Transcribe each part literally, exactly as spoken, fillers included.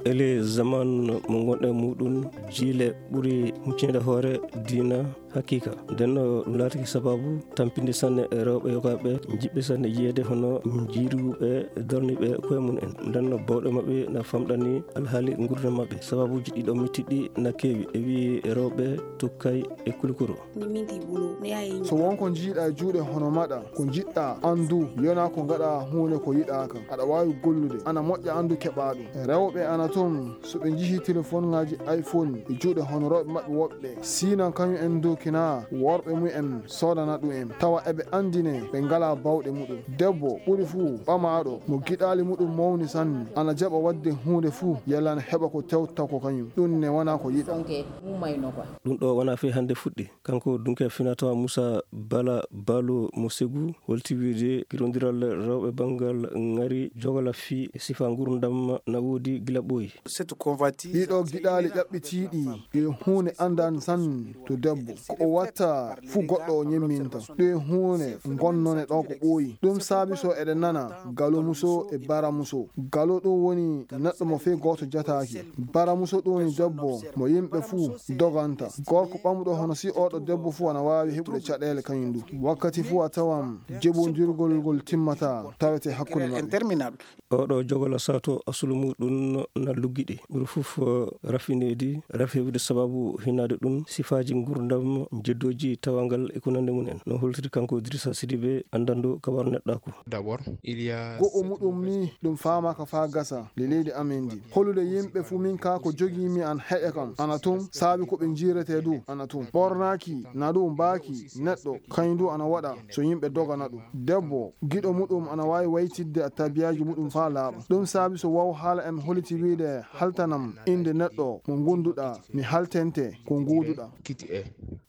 Ele zaman mo ngonɗen muɗum, jiile ɓuri huccinde hoore diina. Haqiqa, nden no ɗum laatake sababu tampinde sanne e rewɓe yogaaɓe, jiɓɓe sanne yiyeede hono jiiruɓe, darniiɓe koye mum en. Nden no bawɗe maɓɓe na famɗani alhaali ngurdam maɓɓe. Sababuuji ɗiɗo mettiɗi na keewi, e wi'i rewɓe tukkay e kulkuro. So won ko njiiɗa e juuɗe hono maɗa, ko njiɗɗa anndu, yona ko ngaɗa huunde ko yiɗaaka. Aɗa waawi gollude, ana moƴƴa anndu keɓa ɗum. Rewɓe ana toon, so ɓe njihii telefonŋaaji iPhone e juuɗe hono rewɓe maɓɓe woɓɓe, sinan kañum en ndokina worɓe mum en soodana ɗum en, tawa eɓe anndine ɓe ngalaa bawɗe muɗum. Debbo ɓuri fuu ɓamaaɗo mo giɗaali muɗum mawni sanne, ana jaɓa waɗde huunde fuu, yalla ana heɓa ko tewta ko kañum. Ɗum ne wonaa ko yiɗa. Ɗum ɗo wonaa fii hannde fuɗɗi. Kanko dunke finatawa Musa Bala Balo mo Segu holti wiide girondiral rewɓe banngal ŋari jogala fii e sifa ngurdam na woodi gila ɓooyi. Ɗiɗo giɗaali ƴaɓɓitiiɗi e huunde anndan sanne to debbo. Ko o watta fuu goɗɗo o ñemminta. Ɗe huunde ngonnone ɗo ko ɓooyi. Ɗum saabi so eɗen nana galo muso e bara muso. Galo ɗum woni neɗɗo mo fii gooto jataaki. Bara muso ɗum woni debbo mo yimɓe fuu doganta. Gorko ɓamuɗo hono si oɗo debbo fuu ana waawi heɓude caɗeele kañum du. Wakkati fuu a tawan jebondirgol ngol timmataa tawete hakkunde maɓɓe. Oɗo jogola sato asulu muɗum na luggiɗi. Ɓuri fof rafineedi, rafi heɓude sababu hinaade ɗum, sifaaji ngurdam, jeddooji tawangal e ko nandi mum en. No holtiri kanko Idrissa Sidibe, anndanɗo ka war neɗɗaaku. D'abord, il y a Go'o muɗum ni ɗum faamaaka faa gasa le leydi amen ndi. Holude yimɓe fuu min kaa ko jogii mi an heƴa kam ana toon, saabi ko ɓe njiiretee du ana toon. Ɓornaaki na ɗum mbaaki neɗɗo, kañum du ana waɗa so yimɓe dogana ɗum. Debbo giɗo muɗum ana waawi waytidde a tabiyaaji muɗum faa laaɓa. Ɗum saabi so waw haala en holiti wiide haltanam innde neɗɗo mo ngonduɗaa, mi haltente ko nguuduɗaa.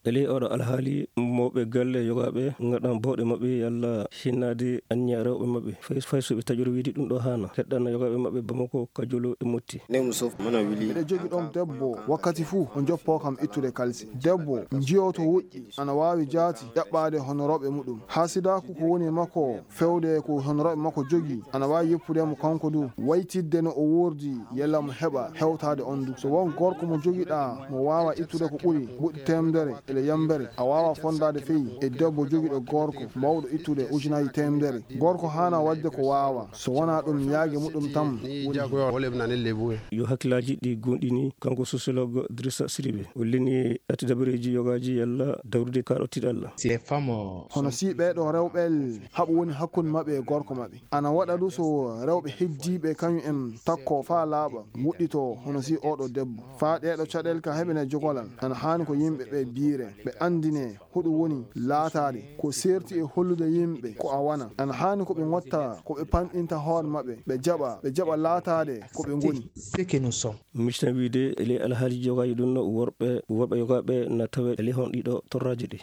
E ley oɗo alhaali, mawɓe galle yogaaɓe ngaɗan bawɗe maɓɓe yalla hinnaade anniya rewɓe maɓɓe. Fay, fay so ɓe taƴoro wiide ɗum ɗo haana. Heɗɗana yogaaɓe maɓɓe Bamako, Kajolo e Motti. Miɗo jogi ɗoon debbo wakkati fuu o joppoo kam ittude kalsi. Debbo njiyoto woƴƴi ana waawi jaati ƴaɓɓaade hono rewɓe muɗum. Haasidaaku ko woni e makko fewde ko hono rewɓe makko jogii ana waawi yoppude mo kanko du. Waytidde no o woordi yalla mo heɓa hewtaade on du. So won gorko mo jogiɗaa mo waawa ittude ko ɓuri mbuɗi teemedere ele yambere, a waawa fondaade fey e debbo jogiɗo gorko mawɗo ittude ujunaaji teemedere. Gorko haana waɗde ko waawa, so wonaa ɗum yaage muɗum tan woni. Yo hakkillaaji ɗi goonɗini, kanko sociologue Idrissa Sidibe. O lini ɗati dabareeji yogaaji yalla dawrude kaaɗo tiiɗalla. Hono si ɓeeɗo rewɓe haɓu woni hakkunde maɓɓe e gorko maɓɓe. Ana waɗa du so rewɓe heddiiɓe kañum en takko faa laaɓa, wuɗɗito hono si oɗo debbo. Faa ɗeeɗo caɗeele ka heɓene jogolal, ana haani ko yimɓe ɓe biire, ɓe anndine hoɗum woni laataade, ko seerti e hollude yimɓe ko a wona. Ana haani ko ɓe ngotta, ko ɓe panɗinta hoore maɓɓe, ɓe jaɓa, ɓe jaɓa laataade ko ɓe ngoni. Mictan wiide e ley alhaali jogaaji ɗum no worɓe, worɓe yogaaɓe na tawe e ley hon ɗiɗo torraaji ɗi.